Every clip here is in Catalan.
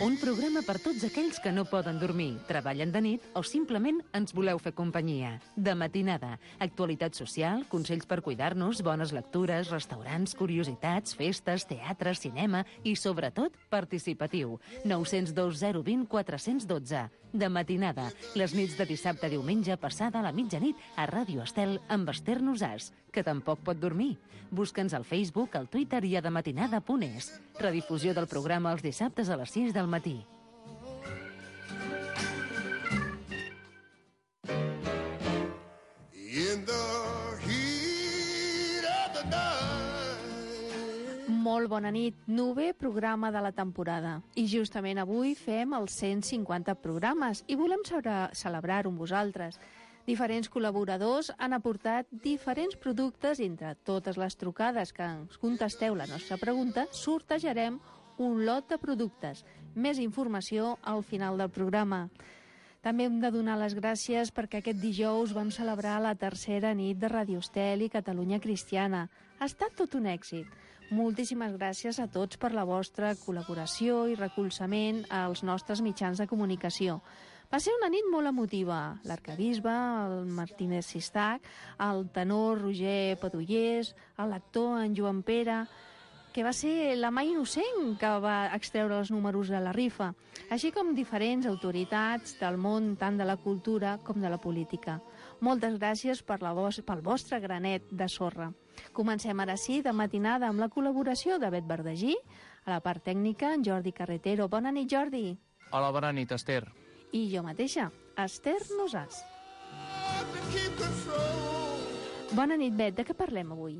Un programa per tots aquells que no poden dormir, treballen de nit o simplement ens voleu fer companyia. De matinada, actualitat social, consells per cuidar-nos, bones lectures, restaurants, curiositats, festes, teatre, cinema i, sobretot, participatiu. 902 020 412. De matinada, les nits de dissabte a diumenge passada a la mitjanit a Ràdio Estel amb Esther Nosàs, que tampoc pot dormir. Busca'ns al Facebook, al Twitter i a dematinada.es. Redifusió del programa els dissabtes a les 6 del matí. Molt bona nit, novè programa de la temporada. I justament avui fem els 150 programes i volem celebrar-ho amb vosaltres. Diferents col·laboradors han aportat diferents productes i entre totes les trucades que ens contesteu la nostra pregunta, sortejarem un lot de productes. Més informació al final del programa. També hem de donar les gràcies perquè aquest dijous vam celebrar la tercera nit de Radio Estel i Catalunya Cristiana. Ha estat tot un èxit. Moltíssimes gràcies a tots per la vostra col·laboració i recolzament als nostres mitjans de comunicació. Va ser una nit molt emotiva. L'arquebisbe, el Martínez Sistac, el tenor Roger Padullers, l'actor en Joan Pere, que va ser la mà innocent que va extreure els números de la rifa, així com diferents autoritats del món tant de la cultura com de la política. Moltes gràcies pel vostre granet de sorra. Comencem ara sí de matinada amb la col·laboració de Bet Verdagí, a la part tècnica en Jordi Carretero. Bona nit, Jordi. Hola, bona nit, Esther. I jo mateixa, Esther Nosàs. Bona nit, Bet. De què parlem avui?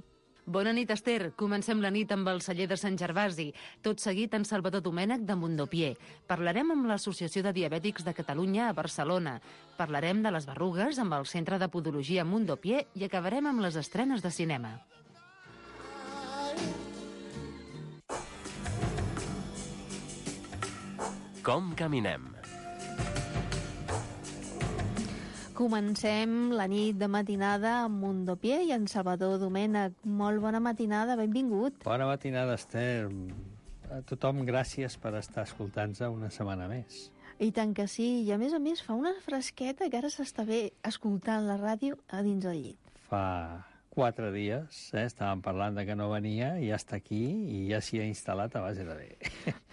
Bona nit, Esther. Comencem la nit amb el celler de Sant Gervasi. Tot seguit en Salvador Domènech de Mondopié. Parlarem amb l'Associació de Diabètics de Catalunya a Barcelona. Parlarem de les berrugues amb el Centre de Podologia Mondopié i acabarem amb les estrenes de cinema. Com caminem? Comencem la nit de matinada amb Mondopié i en Salvador Domènech. Molt bona matinada, benvingut. Bona matinada, Esther. A tothom, gràcies per estar escoltant-nos una setmana més. I tant que sí, i a més fa una fresqueta que ara s'està bé escoltant la ràdio a dins del llit. Fa 4 dies, estàvem parlant de que no venia i ja està aquí i ja s'hi ha instal·lat a base de bé.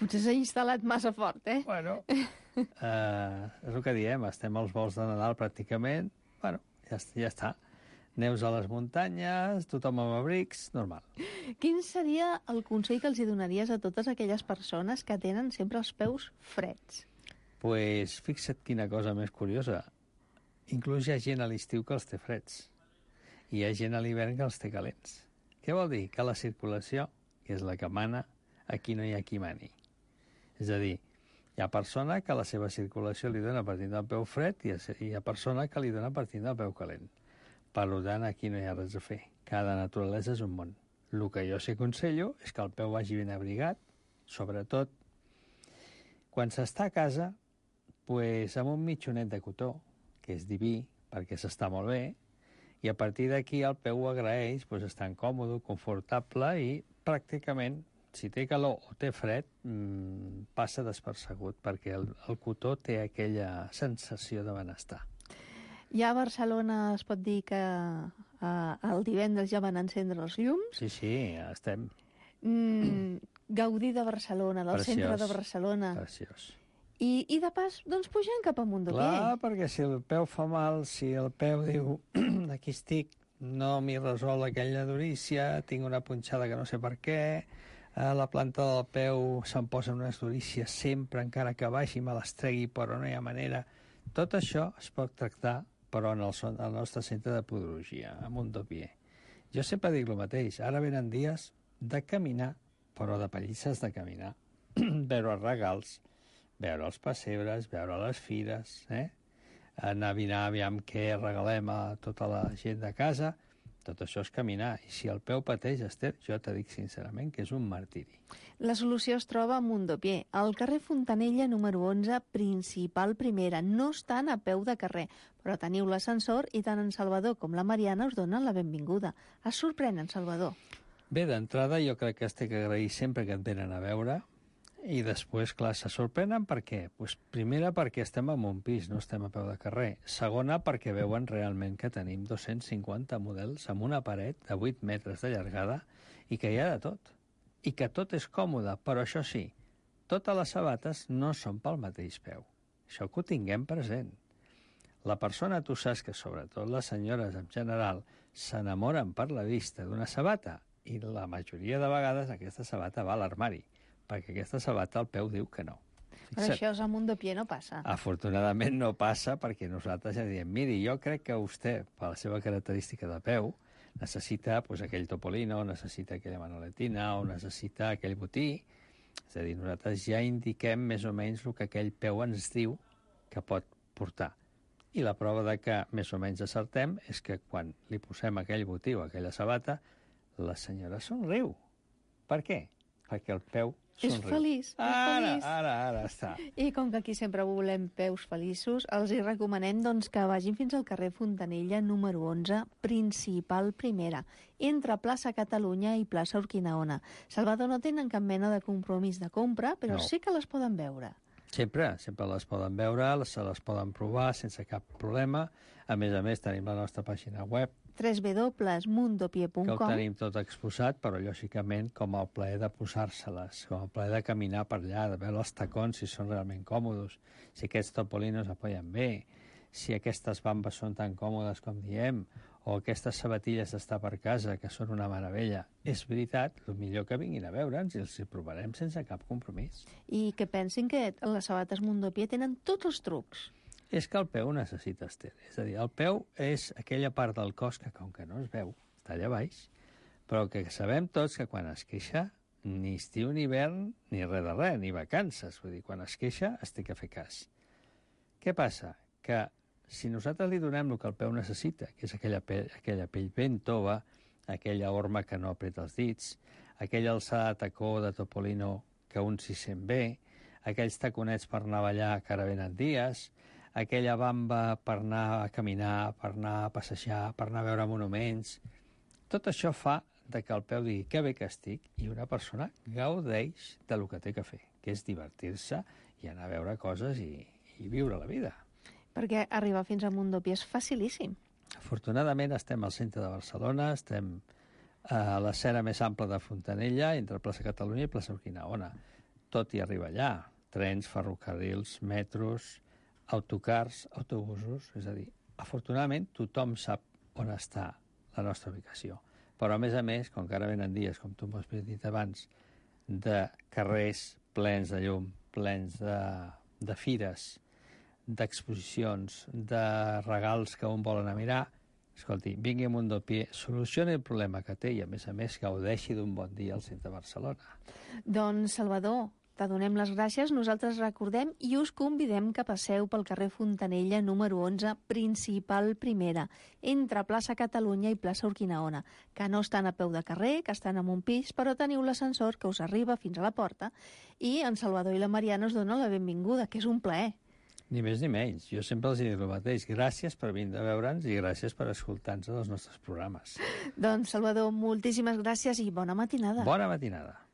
Potser s'ha instal·lat massa fort, Bueno, és el que diem, estem als vols de Nadal pràcticament, bueno, ja està. Neus a les muntanyes, tothom amb abrics, normal. Quin seria el consell que els hi donaries a totes aquelles persones que tenen sempre els peus freds? Pues fixa't quina cosa més curiosa. Inclús hi ha gent a l'estiu que els té freds. I hi ha gent a l'hivern que els té calents. Què vol dir? Que la circulació, que és la que mana, aquí no hi ha qui mani. És a dir, hi ha persona que la seva circulació li dona partint del peu fred i hi ha persona que li dona partint del peu calent. Per tant, aquí no hi ha res a fer. Cada naturalesa és un món. El que jo s'aconsello és que el peu vagi ben abrigat, sobretot quan s'està a casa, pues, amb un mitjonet de cotó, que és diví, perquè s'està molt bé, i a partir d'aquí el peu ho agraeix, pues, estar còmode, confortable i pràcticament, si té calor o té fred, passa despercegut, perquè el cotó té aquella sensació de benestar. Ja a Barcelona es pot dir que el divendres ja van encendre els llums? Sí, estem. Gaudir de Barcelona, del Preciós, centre de Barcelona. Preciós. I de pas, doncs pugem cap a Mondopié. Clar, perquè si el peu fa mal, si el peu diu aquí estic, no m'hi resol aquella durícia, tinc una punxada que no sé per què, a la planta del peu se'm posen unes durícies sempre, encara que baixi me les tregui, però no hi ha manera. Tot això es pot tractar, però en el nostre centre de podologia, a Mondopié. Jo sempre dic el mateix, ara venen dies de caminar, però de pallisses de caminar, veure regals, veure els pessebres, veure les fires, endevinar aviam què regalem a tota la gent de casa, tot això és caminar. I si el peu pateix, Esther, jo te dic sincerament que és un martiri. La solució es troba a Mondopié, al carrer Fontanella número 11, principal primera. No estan a peu de carrer, però teniu l'ascensor i tant en Salvador com la Mariana us donen la benvinguda. Es sorprèn, en Salvador. Bé, d'entrada jo crec que has d'agrair sempre que et venen a veure I després, clar, se sorprenen per què? Pues, primera, perquè estem en un pis, no estem a peu de carrer. Segona, perquè veuen realment que tenim 250 models amb una paret de 8 metres de llargada i que hi ha de tot. I que tot és còmode, però això sí, totes les sabates no són pel mateix peu. Això que ho tinguem present. La persona, tu saps que sobretot les senyores en general s'enamoren per la vista d'una sabata i la majoria de vegades aquesta sabata va a l'armari, perquè aquesta sabata al peu diu que no. Però això al Mundopié no passa. Afortunadament no passa perquè nosaltres ja diem, miri, jo crec que vostè, per la seva característica de peu, necessita pues, aquell topolino, necessita aquella manoletina o necessita aquell botí. És a dir, nosaltres ja indiquem més o menys el que aquell peu ens diu que pot portar. I la prova de que més o menys acertem és que quan li posem aquell botí o aquella sabata, la senyora somriu. Per què? Perquè el peu somriu. És feliç, Ara està. I com que aquí sempre volem peus feliços, els hi recomanem doncs, que vagin fins al carrer Fontanella, número 11, principal primera, entre plaça Catalunya i plaça Urquinaona. Salvador, no tenen cap mena de compromís de compra, però sí que les poden veure. Sempre les poden veure, se les poden provar sense cap problema. A més, tenim la nostra pàgina web, www.mundopié.com, que ho tenim tot exposat, però lògicament com el plaer de posar-se-les, com el plaer de caminar per allà, de veure els tacons si són realment còmodes, si aquests topolinos apoyen bé, si aquestes bambes són tan còmodes com diem, o aquestes sabatilles d'estar per casa, que són una meravella. És veritat, el millor que vinguin a veure'ns i els hi provarem sense cap compromís. I que pensin que les sabates Mundopié tenen tots els trucs. És que el peu necessita estel. És a dir, el peu és aquella part del cos que, com que no es veu, està allà baix, però que sabem tots que quan es queixa, ni estiu ni hivern, ni res de res, ni vacances. Vull dir, quan es queixa, es té que fer cas. Què passa? Que si nosaltres li donem el que el peu necessita, que és aquella pell ben tova, aquella horma que no apreta els dits, aquella alçada de tacó de topolino que un s'hi sent bé, aquells taconets per anar a ballar que ara venen dies, aquella bamba per anar a caminar, per anar a passejar, per anar a veure monuments. Tot això fa que el peu digui que bé que estic i una persona gaudeix del que té que fer, que és divertir-se i anar a veure coses i viure la vida. Perquè arribar fins a Mundopié és facilíssim. Afortunadament estem al centre de Barcelona, estem a l'escena més ampla de Fontanella, entre plaça Catalunya i plaça Urquinaona. Tot hi arriba allà. Trens, ferrocarrils, metros, autocars, autobusos, és a dir, afortunadament tothom sap on està la nostra ubicació. Però a més, com que ara venen dies, com tu m'has dit abans, de carrers plens de llum, plens de fires, d'exposicions, de regals que un vol anar a mirar, escolti, vingui a Mundopié, solucioni el problema que té i a més, gaudeixi d'un bon dia al centre de Barcelona. Doncs, Salvador, te donem les gràcies, nosaltres recordem i us convidem que passeu pel carrer Fontanella, número 11, principal primera, entre plaça Catalunya i plaça Urquinaona, que no estan a peu de carrer, que estan en un pis, però teniu l'ascensor que us arriba fins a la porta i en Salvador i la Mariana us donen la benvinguda, que és un plaer. Ni més ni menys. Jo sempre els dic el mateix. Gràcies per venir a veure'ns i gràcies per escoltar-nos els nostres programes. Doncs, Salvador, moltíssimes gràcies i bona matinada. Bona matinada.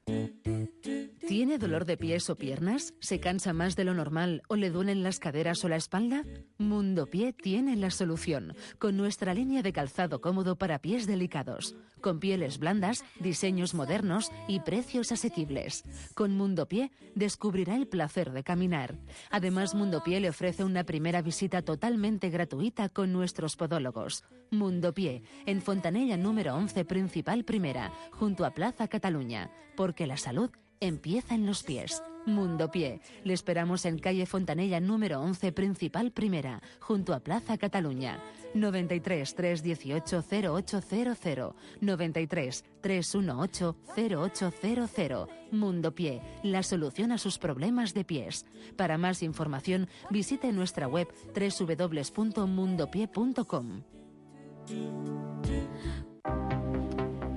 ¿Tiene dolor de pies o piernas? ¿Se cansa más de lo normal o le duelen las caderas o la espalda? Mundopié tiene la solución, con nuestra línea de calzado cómodo para pies delicados, con pieles blandas, diseños modernos y precios asequibles. Con Mundopié descubrirá el placer de caminar. Además, Mundopié le ofrece una primera visita totalmente gratuita con nuestros podólogos. Mundopié, en Fontanella número 11, principal primera, junto a Plaza Cataluña, porque la salud empieza en los pies. Mundopié. Le esperamos en calle Fontanella número 11, principal primera, junto a Plaza Cataluña. 93 318 0800 93 318 0800. Mundopié, la solución a sus problemas de pies. Para más información, visite nuestra web www.mundopié.com.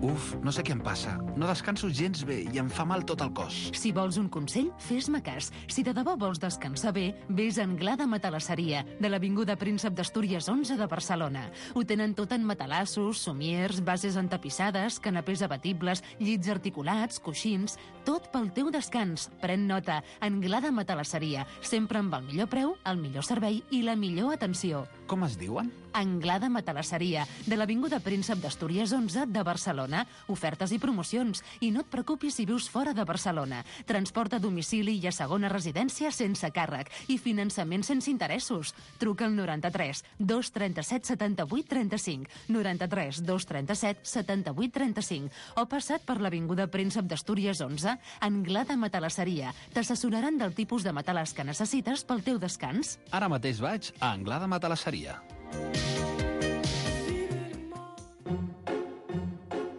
Uf, no sé què em passa. No descanso gens bé i em fa mal tot el cos. Si vols un consell, fes-me cas. Si de debò vols descansar bé, vés a Anglada Matalasseria, de l'Avinguda Príncep d'Astúries 11 de Barcelona. Ho tenen tot en matalassos, somiers, bases entapissades, canapés abatibles, llits articulats, coixins... Tot pel teu descans. Pren nota. Anglada Matalasseria. Sempre amb el millor preu, el millor servei i la millor atenció. Com es diuen? Anglada Matalasseria, de l'Avinguda Príncep d'Astúries 11 de Barcelona. Ofertes i promocions. I no et preocupis si vius fora de Barcelona. Transport a domicili i a segona residència sense càrrec. I finançament sense interessos. Truca al 93 237 78 35, 93 237 78 35 o passa't per l'Avinguda Príncep d'Astúries 11, Anglada Matalasseria. T'assessoraran del tipus de matalàs que necessites pel teu descans. Ara mateix vaig a Anglada Matalasseria.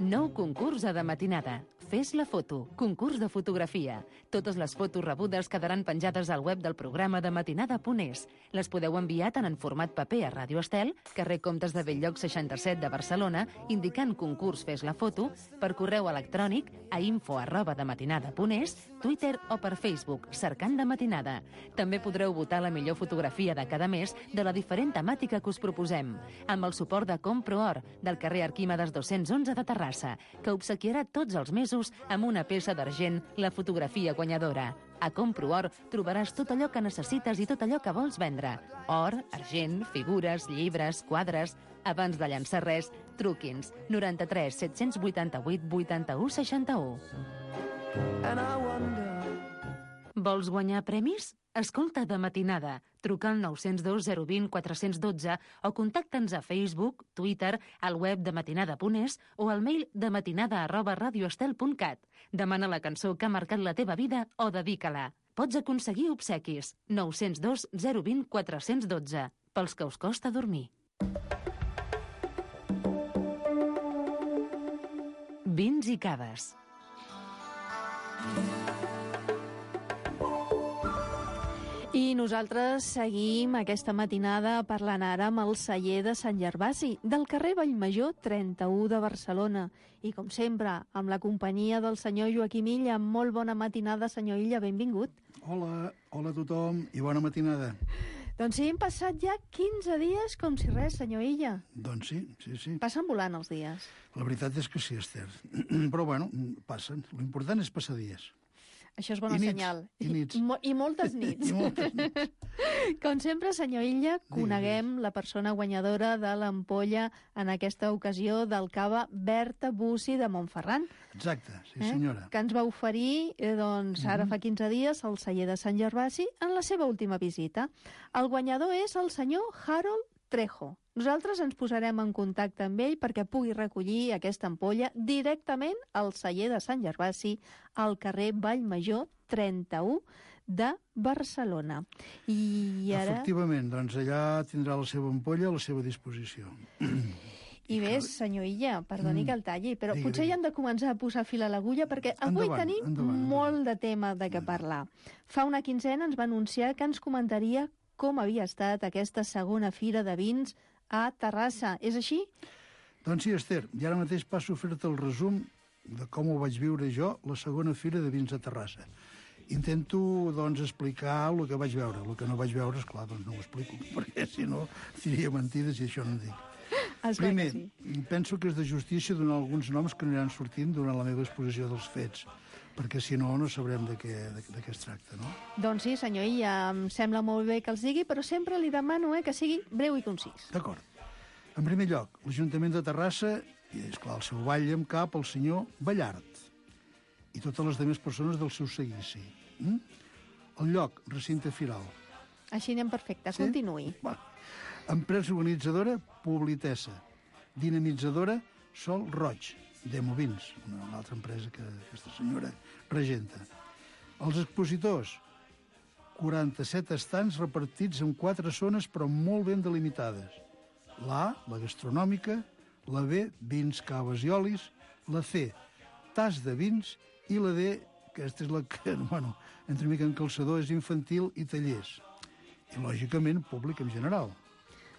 Nou concurs a de matinada. Fes la foto. Concurs de fotografia. Totes les fotos rebudes quedaran penjades al web del programa de matinada.es. Les podeu enviar tant en format paper a Ràdio Estel, carrer Comtes de Bell-lloc 67 de Barcelona, indicant concurs Fes la foto, per correu electrònic a info@dematinada.es, Twitter o per Facebook, cercant de matinada. També podreu votar la millor fotografia de cada mes de la diferent temàtica que us proposem, amb el suport de Comproor, del carrer Arquímedes 211 de Terrassa, que obsequiarà tots els mesos amb una peça d'argent la fotografia guanyadora. A Comproor trobaràs tot allò que necessites i tot allò que vols vendre. Or, argent, figures, llibres, quadres... Abans de llançar res, truqui'ns 93 788 81 61. Vols guanyar premis? Escolta de matinada. Truca al 902 020 412 o contacta'ns a Facebook, Twitter, al web de matinada.es o al mail dematinada@radioestel.cat. Demana la cançó que ha marcat la teva vida o dedica-la. Pots aconseguir obsequis. 902 020 412. Pels que us costa dormir. Vins i caves. I nosaltres seguim aquesta matinada parlant ara amb el celler de Sant Gervasi, del carrer Vallmajor 31 de Barcelona. I, com sempre, amb la companyia del senyor Joaquim Illa. Molt bona matinada, senyor Illa, benvingut. Hola a tothom i bona matinada. Doncs sí, hem passat ja 15 dies com si res, senyor Illa. Doncs sí. Passen volant els dies. La veritat és que sí, Esther. Però bueno, passen. L'important és passar dies. Això és bona senyal. I nits. I moltes nits. I moltes nits. Com sempre, senyor Illa, coneguem la persona guanyadora de l'ampolla en aquesta ocasió del cava Berta Bussi de Montferran. Exacte, sí senyora. Que ens va oferir, ara fa 15 dies, al celler de Sant Gervasi en la seva última visita. El guanyador és el senyor Harold Trejo. Nosaltres ens posarem en contacte amb ell perquè pugui recollir aquesta ampolla directament al celler de Sant Gervasi al carrer Vallmajor 31 de Barcelona. I ara... Efectivament, doncs allà tindrà la seva ampolla a la seva disposició. I bé, senyor Illa, perdoni que el talli, però potser ja hem de començar a posar fil a l'agulla perquè avui tenim molt de tema de què parlar. Fa una quinzena ens va anunciar que ens comentaria com havia estat aquesta segona fira de vins a Terrassa. És així? Doncs sí, Esther. I ara mateix passo a fer-te el resum de com ho vaig viure jo, la segona fira de vins a Terrassa. Intento, doncs, explicar el que vaig veure. El que no vaig veure, esclar, doncs no ho explico, perquè si no diria mentides i això no en dic. Primer, penso que és de justícia donar alguns noms que aniran sortint durant la meva exposició dels fets, perquè si no, no sabrem de què es tracta, no? Doncs sí, senyor Illa, em sembla molt bé que els digui, però sempre li demano que sigui breu i concís. D'acord. En primer lloc, l'Ajuntament de Terrassa, i esclar, el seu batlle en cap, el senyor Ballart, i totes les altres persones del seu seguici. El lloc, recinte firal. Així anem perfecte, continuï. Empresa organitzadora, Publitessa. Dinamitzadora, Sol Roig. Demovins, una altra empresa que aquesta senyora regenta. Els expositors, 47 estants repartits en 4 zones però molt ben delimitades. La A, la gastronòmica, la B, vins, caves i olis, la C, tas de vins, i la D, que aquesta és la que, bueno, entre mica en calçador, és infantil i tallers. I, lògicament, públic en general.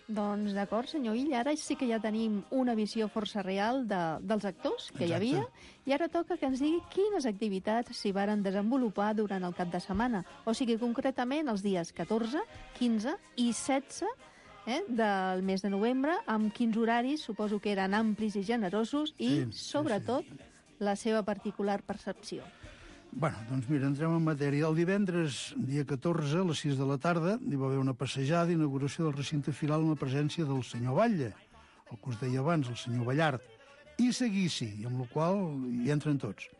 Doncs d'acord, senyor Illa, ara sí que ja tenim una visió força real dels actors que hi havia, i ara toca que ens digui quines activitats s'hi varen desenvolupar durant el cap de setmana, o sigui, concretament els dies 14, 15 i 16 del mes de novembre, amb quins horaris suposo que eren amplis i generosos i, sobretot, la seva particular percepció. Bueno, doncs mira, entrem en matèria. El divendres, dia 14, a les 6 de la tarda, hi va haver una passejada d'inauguració del recinte firal amb la presència del senyor Batlle, el que us deia abans, el senyor Ballart, i Seguici, i amb la qual hi entren tots.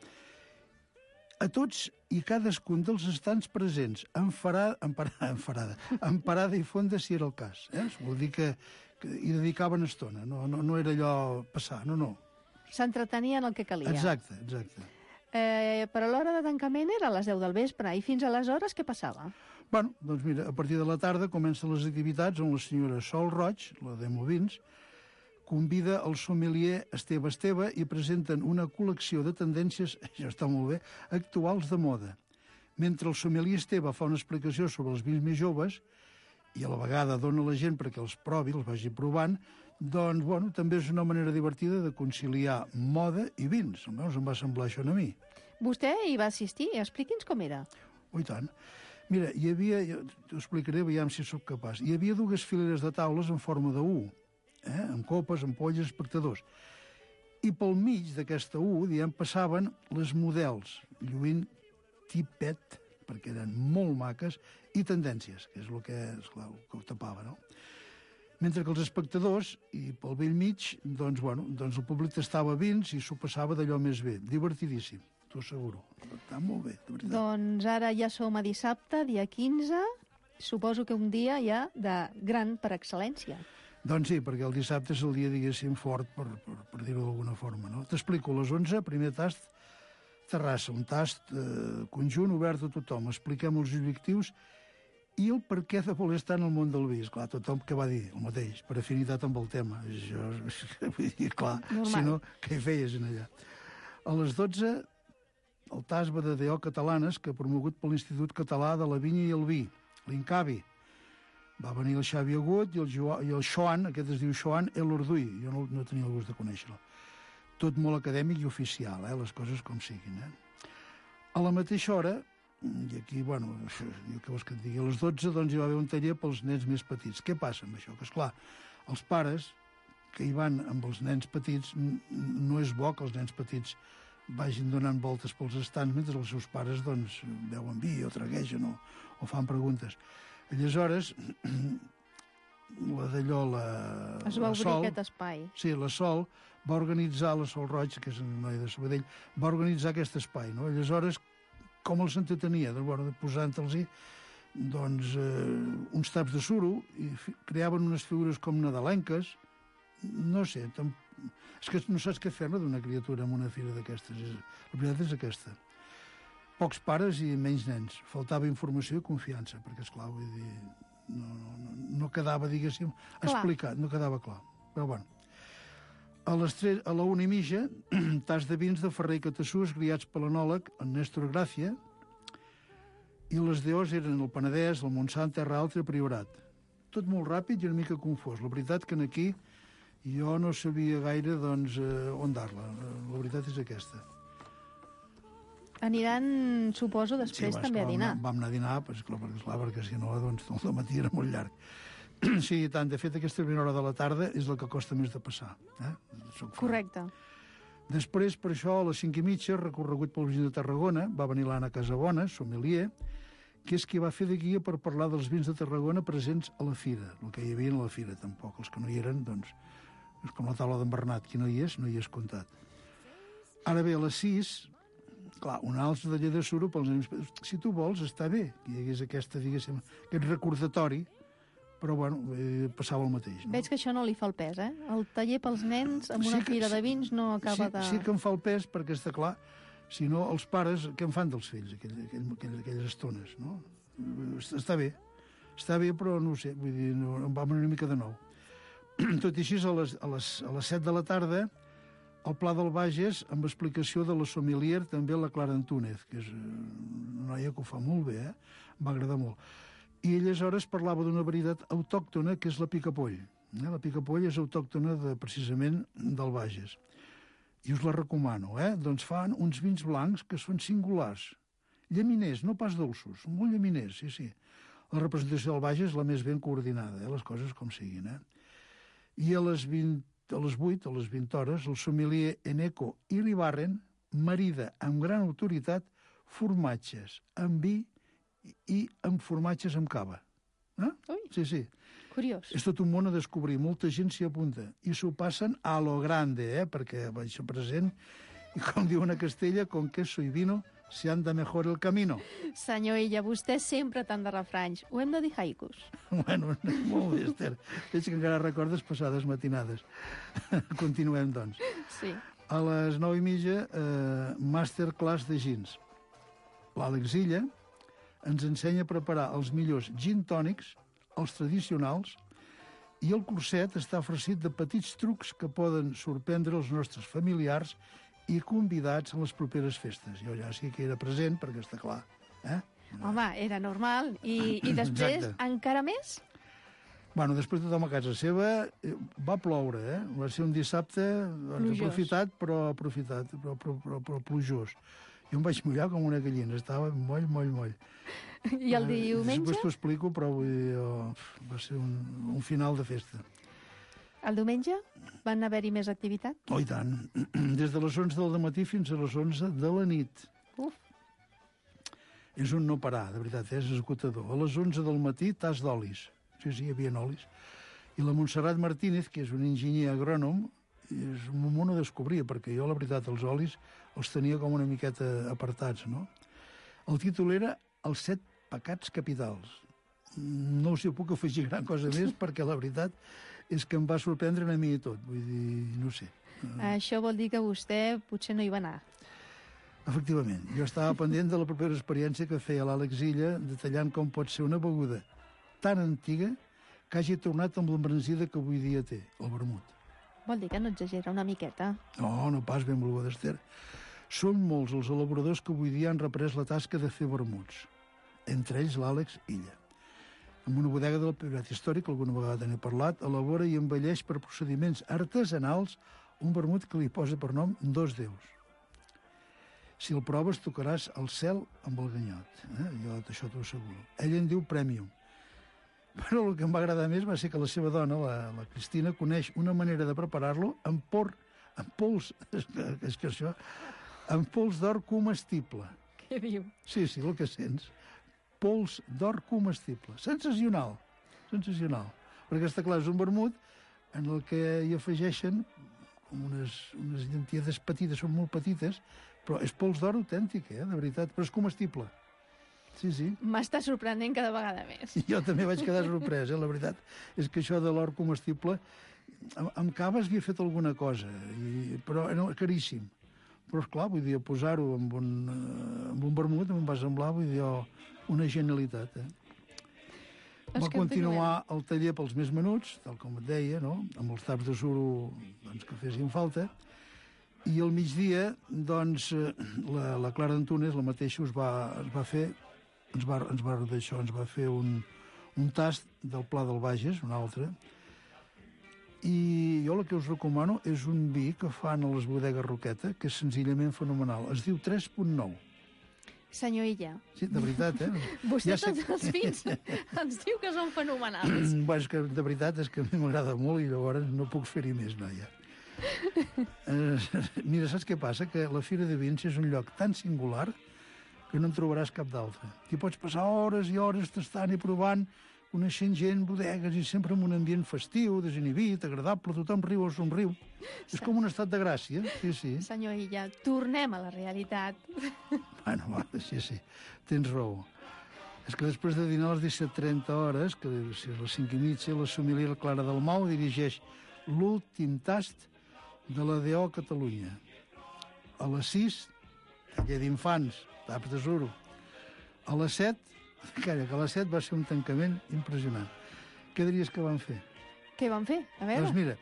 A tots i cadascun dels estants presents, en parada i fonda, si era el cas. Vol dir que hi dedicaven estona, no era allò passar, no. S'entretenien el que calia. Exacte. Però l'hora de tancament era a les 10 del vespre, i fins aleshores què passava? Bueno, doncs mira, a partir de la tarda comencen les activitats on la senyora Sol Roig, la Demo Vins, convida el sommelier Esteve i presenten una col·lecció de tendències, això està molt bé, actuals de moda. Mentre el sommelier Esteve fa una explicació sobre els vins més joves i a la vegada dona a la gent perquè els provi, els vagi provant, doncs, bueno, també és una manera divertida de conciliar moda i vins. Almenys em va semblar això a mi. Vostè hi va assistir? Expliqui'ns com era. Oh, i tant. Mira, hi havia, t'ho explicaré, veiem si sóc capaç, hi havia dues fileres de taules en forma de U, amb copes, ampolles, espectadors. I pel mig d'aquesta U, diguem, passaven les models, lluint tipet, perquè eren molt maques, i tendències, que és el que, esclar, que ho tapava, no? Mentre que els espectadors, i pel vell mig, doncs el públic tastava vins i s'ho passava d'allò més bé. Divertidíssim, t'ho asseguro. Està molt bé, de veritat. Doncs ara ja som a dissabte, dia 15. Suposo que un dia ja de gran per excel·lència. Doncs sí, perquè el dissabte és el dia, diguéssim, fort, per dir-ho d'alguna forma, no? T'explico, a les 11, primer tast, terrassa, un tast conjunt obert a tothom. Expliquem els objectius i el per què de voler estar en el món del vi. Clar, tothom que va dir el mateix, per afinitat amb el tema. Això, vull dir, clar, normal. Si no, què hi feies en allà? A les 12, el TAS Badadeo Catalanes, que ha promogut per l'Institut Català de la Vinya i el Vi, l'INCAVI. Va venir el Xavi Agut i el Xoan, aquest es diu Xoan El Orduí. Jo no tenia el gust de conèixer-lo. Tot molt acadèmic i oficial, les coses com siguin. A la mateixa hora, i aquí, bueno, què vols que et digui? A les 12, doncs, hi va haver un taller pels nens més petits. Què passa amb això? Que, esclar, els pares que hi van amb els nens petits, no és bo que els nens petits vagin donant voltes pels estants mentre els seus pares, doncs, beuen vi o traguegen o fan preguntes. Aleshores, la d'allò, es va obrir aquest espai. Sí, la Sol va organitzar, la Sol Roig, que és una noia de Sabadell, va organitzar aquest espai, no? Aleshores, com els entretenia? Doncs, posant-los-hi uns taps de suro i creaven unes figures com nadalenques. No sé, és que no saps què fer-ne d'una criatura en una fira d'aquestes. La veritat és aquesta. Pocs pares i menys nens. Faltava informació i confiança, perquè, esclar, vull dir, no quedava, diguéssim, explicat, no quedava clar. Però, bueno, a la 1:30, tas de vins de Ferrer i Catassús, criats per l'anòleg, en Néstor Gràcia, i les DOs eren el Penedès, el Montsant, Terra Alta i el Priorat. Tot molt ràpid i una mica confós. La veritat que aquí jo no sabia gaire, doncs, on dar-la. La veritat és aquesta. Aniran, suposo, després també a dinar. Vam anar a dinar, perquè si no, doncs, el matí era molt llarg. Sí, i tant. De fet, aquesta primera hora de la tarda és la que costa més de passar. Correcte. Després, per això, a les 5:30, recorregut pel Vins de Tarragona, va venir l'Anna Casabona, sommelier, que és qui va fer de guia per parlar dels vins de Tarragona presents a la fira, el que hi havia a la fira, tampoc. Els que no hi eren, doncs, és com la taula d'en Bernat. Qui no hi és comptat. Ara bé, a les 6, clar, un altre taller de suro pels nens. Si tu vols, està bé que hi hagués aquest recordatori, però, bueno, passava el mateix. No? Veig que això no li fa el pes, eh? El taller pels nens amb una fira de vins no acaba de... Sí que em fa el pes, perquè està clar, si no, els pares, què en fan dels fills, aquelles estones, no? Està bé, però no ho sé, vull dir, em va una mica de nou. Tot i així, a les 7 de la tarda, el Pla del Bages, amb explicació de la sommelier, també la Clara Antúnez, que és una noia que ho fa molt bé, va agradar molt. I aleshores parlava d'una varietat autòctona, que és la picapoll. La picapolla és autòctona precisament del Bages. I us la recomano, Doncs fan uns vins blancs que són singulars. Llaminers, no pas dolços, molt llaminers, sí. La representació del Bages és la més ben coordinada, les coses com siguin, I a les 8, a les 20 hores, el sommelier Eneco Iribarren marida amb gran autoritat formatges amb vi i amb formatges amb cava. Ui. Sí. Curiós. És tot un món a descobrir, molta gent s'hi apunta. I s'ho passen a lo grande, perquè vaig ser present, i com diuen a Castella, con queso y vino se anda mejor el camino. Senyor Illa, vostè sempre tant de refranys. Ho hem de dir haikus. Bueno, molt bé, Esther. Veig que encara recordes passades matinades. Continuem, doncs. Sí. A les 9:30, masterclass de gins. L'Àlex Illa ens ensenya a preparar els millors gin tònics, els tradicionals, i el curset està farcit de petits trucs que poden sorprendre els nostres familiars i convidats a les properes festes. Jo ja sí que era present, perquè està clar. Home, era normal. I després, Exacte. encara més? Bueno, després tothom a casa seva, va ploure, Va ser un dissabte doncs, Plujós. però plujós. Jo em vaig mullar com una gallina, estava moll. I el diumenge? Després t'ho explico, però vull dir, va ser un final de festa. El diumenge van haver-hi més activitat? Oh, i tant. Des de les 11 del matí fins a les 11 de la nit. Uf. És un no parar, de veritat, és esgotador. A les 11 del matí, tas d'olis. Sí, hi havia olis. I la Montserrat Martínez, que és un enginyer agrònom, és un món a descobrir, perquè jo, la veritat, els olis els tenia com una miqueta apartats, no? El títol era Els 7 pecats capitals. No us hi puc afegir gran cosa més, perquè la veritat és que em va sorprendre a mi i tot. Vull dir, no sé. Això vol dir que vostè potser no hi va anar. Efectivament, jo estava pendent de la propera experiència que feia l'Àlex Illa, detallant com pot ser una beguda tan antiga que hagi tornat amb l'embranzida que avui dia té, el vermut. Vol dir que no exagera una miqueta. No pas benvolguda, Esther. Són molts els elaboradors que avui dia han reprès la tasca de fer vermuts. Entre ells l'Àlex Illa. Amb una bodega del Priorat Històric, alguna vegada n'he parlat, elabora i envelleix per procediments artesanals un vermut que li posa per nom Dos Déus. Si el proves, tocaràs el cel amb el ganyot. Jo això t'ho asseguro. Ell en diu Premium. Però el que em va agradar més va ser que la seva dona, la Cristina, coneix una manera de preparar-lo amb pols, és que això, amb pols d'or comestible. Què diu? Sí, el que sents. Pols d'or comestible. Sensacional. Perquè està clar, és un vermut en el que hi afegeixen unes llantiedes petites, són molt petites, però és pols d'or autèntic, de veritat, però és comestible. Sí. M'està sorprenent cada vegada més. Jo també vaig quedar sorprès, la veritat. És que això de l'or comestible... Amb cava havia fet alguna cosa, però era caríssim. Però, esclar, vull dir, posar-ho amb un vermut em va semblar, vull dir, una genialitat, Va continuar el taller pels més menuts, tal com et deia, no? Amb els taps de suro doncs, que fessin falta. I al migdia, doncs, la Clara Antunes, la mateixa, ens va fer un tast del Pla del Bages, un altre, i jo el que us recomano és un vi que fan a les bodegues Roqueta, que és senzillament fenomenal. Es diu 3.9. Senyor Illa. Sí, de veritat, Vostè ja tots els vins ens diu que són fenomenals. Bueno, és que de veritat és que a mi m'agrada molt i llavors no puc fer-hi més, noia. Mira, saps què passa? Que la Fira de Vins és un lloc tan singular que no en trobaràs cap d'altre. T'hi pots passar hores i hores tastant i provant, coneixent gent, bodegues, i sempre en un ambient festiu, desinhibit, agradable, tothom riu o somriu. És com un estat de gràcia, sí. Senyor Illa, tornem a la realitat. Bueno, sí, tens raó. És que després de dinar a les 17:30 hores, que si a les 5:30, la sommelier Clara Dalmau dirigeix l'últim tast de la DO Catalunya. A les 6, taller d'infants, taps de suro. A les 7, calla, que a les 7 va ser un tancament impressionant. Què diries que van fer? Què van fer? A veure. Doncs mira,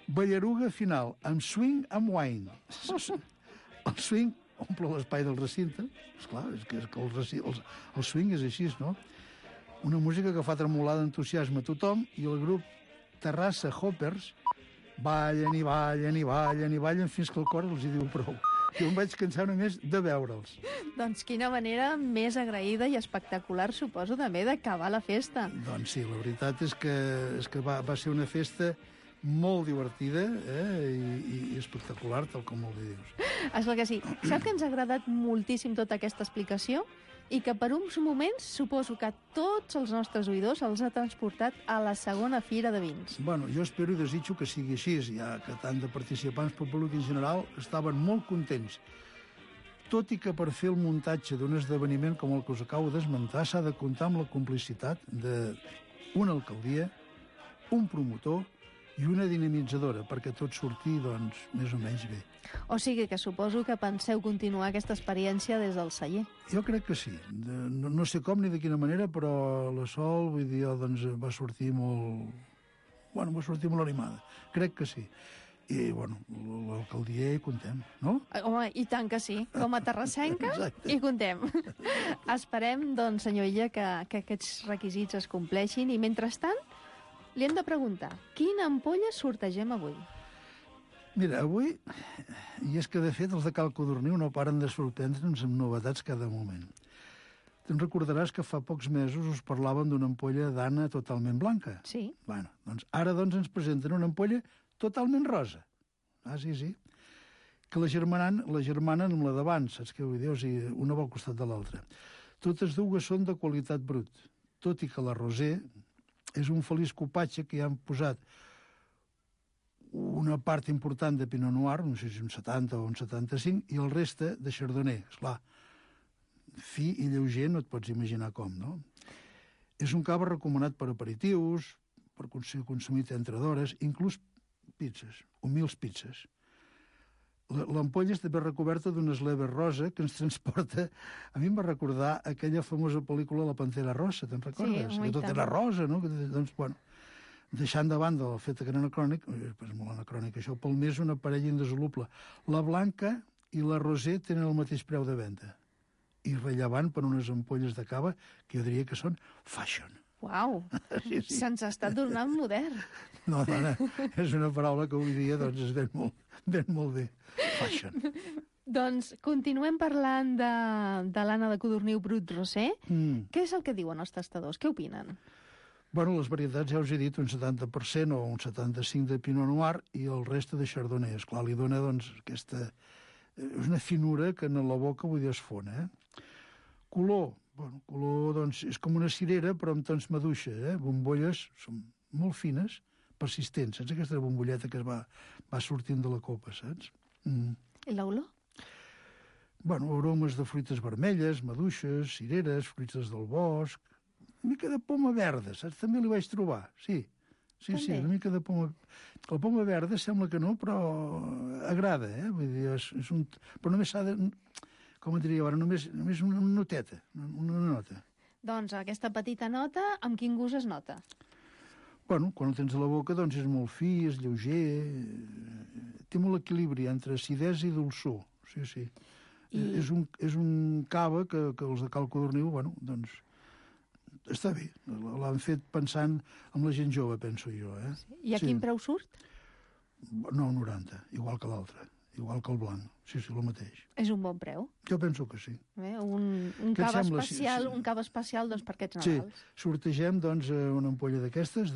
ballaruga final, amb swing, amb wine. El swing omple l'espai del recinte. Esclar, és que el swing és així, no? Una música que fa tremolar d'entusiasme a tothom i el grup Terrassa Hoppers ballen i ballen i ballen i ballen fins que el cor els hi diu prou. Jo em vaig cansar només de veure'ls. Doncs quina manera més agraïda i espectacular, suposo, també d'acabar la festa. Doncs sí, la veritat és que va ser una festa molt divertida i espectacular, tal com molt bé dius. És clar que sí. Sap que ens ha agradat moltíssim tota aquesta explicació i que per uns moments suposo que tots els nostres oïdors els ha transportat a la segona fira de vins. Bueno, jo espero i desitjo que sigui així, ja que tant de participants com públic en general estaven molt contents. Tot i que per fer el muntatge d'un esdeveniment com el que us acabo d'esmentar s'ha de comptar amb la complicitat d'una alcaldia, un promotor i una dinamitzadora, perquè tot surti, doncs, més o menys bé. O sigui que suposo que penseu continuar aquesta experiència des del celler. Jo crec que sí. No sé com ni de quina manera, però la Sol, vull dir, doncs, va sortir molt... Bueno, va sortir molt animada. Crec que sí. I, bueno, l'alcaldia hi contem, no? Home, i tant que sí. Com a terrassenca, hi contem. Esperem, doncs, senyor Illa, que aquests requisits es compleixin i, mentrestant, li hem de preguntar, quina ampolla sortegem avui? Mira, avui, i és que de fet els de Cal Codorniu no paren de sorprendre'ns amb novetats cada moment. Te'n recordaràs que fa pocs mesos us parlàvem d'una ampolla d'Anna totalment blanca. Sí. Bueno, doncs ara ens presenten una ampolla totalment rosa. Ah, sí, sí. Que la germanen amb la d'abans, saps què vull dir? O sigui, una va al costat de l'altra. Totes dues són de qualitat brut, tot i que la rosé és un feliç copatge que hi han posat una part important de Pinot Noir, no sé si un 70 o un 75, i el reste de Chardonnay. Esclar, fi i lleuger no et pots imaginar com, no? És un cava recomanat per aperitius, per ser consumit entre d'hores, inclús pizzas, humils pizzas. L'ampolla està ben recoberta d'una esleva rosa que ens transporta... A mi em va recordar aquella famosa pel·lícula La Pantera Rosa, te'n recordes? Sí, que tot era rosa, no? Doncs, bueno, deixant de banda el fet que era anacrònic, és molt anacrònic això, pel més una parella indissoluble. La blanca i la rosé tenen el mateix preu de venda. I rellevant per unes ampolles de cava que jo diria que són fashion. Uau, Sí, sí. se'ns està tornant modern. No, dona, és una paraula que avui dia doncs, es ven molt bé. Fashion. Doncs continuem parlant de l'Anna de Codorniu Brut Rosé. Què és el que diuen els tastadors? Què opinen? Bueno, les varietats ja us he dit, un 70% o un 75% de Pinot Noir i el reste de Chardonnay. Esclar, li dona doncs aquesta... És una finura que en la boca vull dir es fona, Color, bueno, color doncs és com una cirera però amb tons maduixa, Bombolles són molt fines, persistents, saps? Aquesta bombolleta que es va sortint de la copa, saps? I l'olor? Bueno, aromes de fruites vermelles, maduixes, cireres, fruites del bosc, una mica de poma verda, saps? També li vaig trobar, sí. Sí, una mica de poma... La poma verda sembla que no, però agrada, Vull dir, és un... Però només s'ha de... Com et diria ara? Només una noteta, una nota. Doncs aquesta petita nota, amb quin gust es nota? Bueno, quan ho tens a la boca, doncs és molt fi, és lleuger, té molt equilibri entre acidesa i dolçor, sí. És un cava que els de Cal Codorniu, bueno, doncs, està bé. L'han fet pensant en la gent jove, penso jo, I a quin preu surt? No, 90, igual que l'altre, igual que el blanc. Sí, el mateix. És un bon preu? Jo penso que sí. Un cava especial, un cava especial doncs, per aquests Nadals. Sí, sortegem doncs, una ampolla d'aquestes,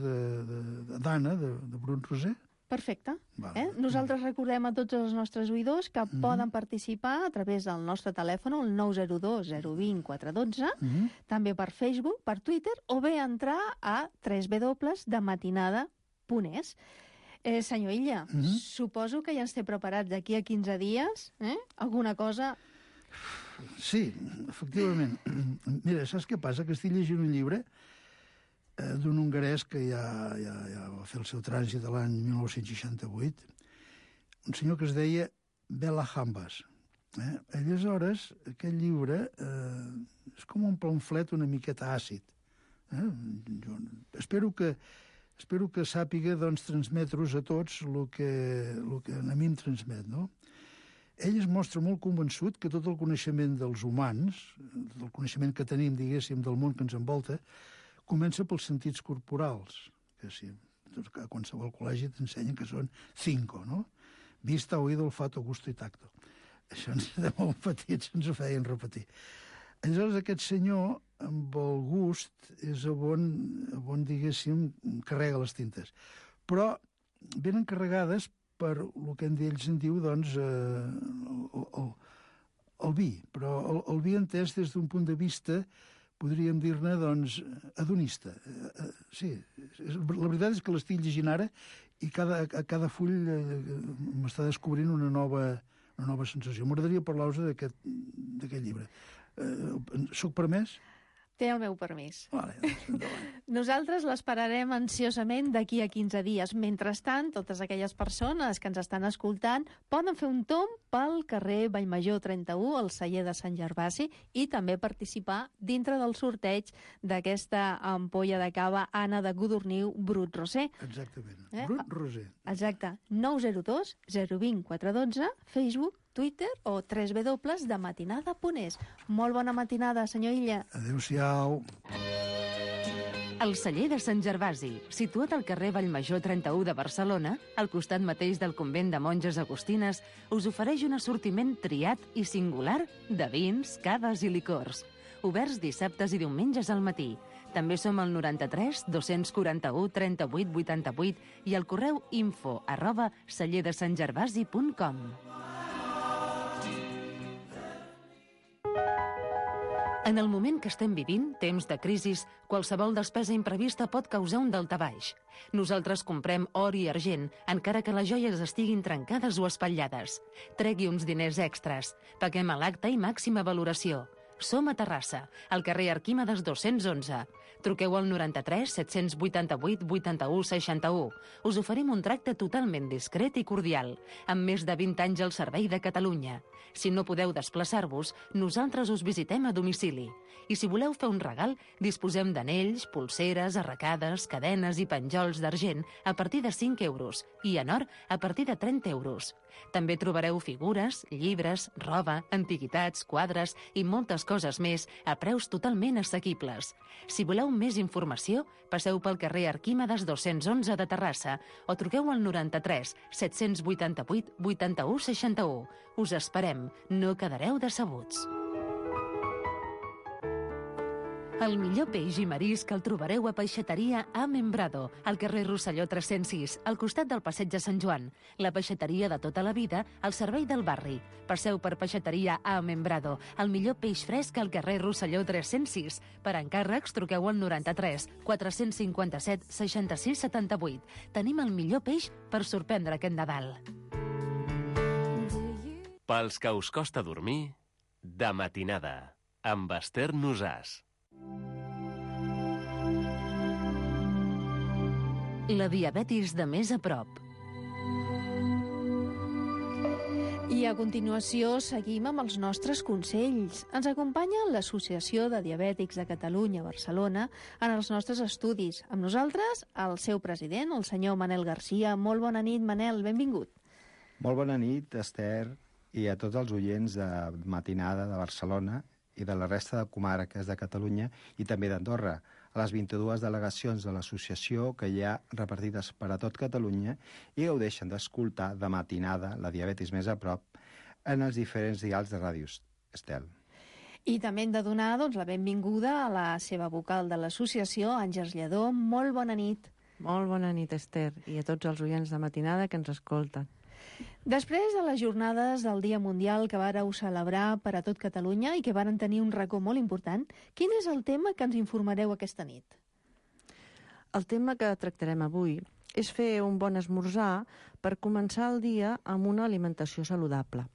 d'Anna, de Brut Rosé. Perfecte. Nosaltres recordem a tots els nostres oïdors que poden participar a través del nostre telèfon, el 902 020 412, també per Facebook, per Twitter, o bé entrar a www.dematinada.es. Senyor Illa, suposo que ja ens té preparats d'aquí a 15 dies, alguna cosa... Sí, efectivament. Mira, saps què passa? Que estic llegint un llibre d'un hongarès que ja va fer el seu trànsit l'any 1968, un senyor que es deia Bela Hambas. Aleshores, aquest llibre és com un pamflet una miqueta àcid. Jo espero que sàpiga doncs, transmetre-us a tots el que a mi em transmet, no? Ell es mostra molt convençut que tot el coneixement dels humans, el coneixement que tenim, diguéssim, del món que ens envolta, comença pels sentits corporals, que sí, a qualsevol col·legi t'ensenyen que són 5, no? Vista, oído, olfato, gusto i tacto. Això de molt petits ens ho feien repetir. Aleshores, aquest senyor, amb el gust, és on diguéssim, carrega les tintes. Però venen carregades per el que ells en diu, doncs, el vi. Però el vi entès des d'un punt de vista, podríem dir-ne, doncs, hedonista. Sí, la veritat és que l'estic llegint ara i a cada full m'està descobrint una nova sensació. M'agradaria parlar-vos d'aquest llibre. Soc permès? Té el meu permís. Vale, doncs, endavant. Nosaltres l'esperarem ansiosament d'aquí a 15 dies. Mentrestant, totes aquelles persones que ens estan escoltant poden fer un tomb pel carrer Vallmajor 31, al celler de Sant Gervasi, i també participar dintre del sorteig d'aquesta ampolla de cava Anna de Godorniu Brut Rosé. Exactament. Brut Rosé. Exacte. 902 020 412, Facebook, Twitter o www.dematinada.es. Molt bona matinada, senyor Illa. Adéu-siau. El celler de Sant Gervasi, situat al carrer Vallmajor 31 de Barcelona, al costat mateix del convent de monges agustines, us ofereix un assortiment triat i singular de vins, caves i licors. Oberts dissabtes i diumenges al matí. També som al 93 241 38 88 i al correu info@cellerdesantgervasi.com. En el moment que estem vivint, temps de crisis, qualsevol despesa imprevista pot causar un daltabaix. Nosaltres comprem or i argent, encara que les joies estiguin trencades o espatllades. Tregui uns diners extras. Paguem a l'acte i màxima valoració. Som a Terrassa, al carrer Arquímedes 211. Truqueu al 93 788 81 61. Us oferim un tracte totalment discret i cordial, amb més de 20 anys al servei de Catalunya. Si no podeu desplaçar-vos, nosaltres us visitem a domicili. I si voleu fer un regal, disposem d'anells, pulseres, arracades, cadenes i penjols d'argent a partir de 5 euros i en or a partir de 30 euros. També trobareu figures, llibres, roba, antiguitats, quadres i moltes coses més a preus totalment assequibles. Si voleu més informació, passeu pel carrer Arquímedes 211 de Terrassa o truqueu al 93 788 81 61. Us esperem, no quedareu decebuts. El millor peix i marisc el trobareu a Peixateria A Membrado, al carrer Rosselló 306, al costat del Passeig de Sant Joan. La peixateria de tota la vida, al servei del barri. Passeu per Peixateria A Membrado, el millor peix fresc al carrer Rosselló 306. Per encàrrecs, truqueu al 93 457 66 78. Tenim el millor peix per sorprendre aquest Nadal. Pels que us costa dormir, de matinada, amb Esther Nosàs. La diabetis de més a prop. I a continuació seguim amb els nostres consells. Ens acompanya l'Associació de Diabètics de Catalunya, Barcelona, en els nostres estudis. Amb nosaltres, el seu president, el senyor Manel Garcia. Molt bona nit, Manel, benvingut. Molt bona nit, Esther, i a tots els oients de Matinada de Barcelona i de la resta de comarques de Catalunya i també d'Andorra, a les 22 delegacions de l'associació que hi ha repartides per a tot Catalunya i gaudeixen d'escoltar de matinada la diabetis més a prop en els diferents dials de ràdios. Estel. I també hem de donar la benvinguda a la seva vocal de l'associació, Àngels Lledó. Molt bona nit. Molt bona nit, Esther, i a tots els oients de matinada que ens escolten. Després de les jornades del Dia Mundial que vàreu celebrar per a tot Catalunya i que varen tenir un racó molt important, quin és el tema que ens informareu aquesta nit? El tema que tractarem avui és fer un bon esmorzar per començar el dia amb una alimentació saludable.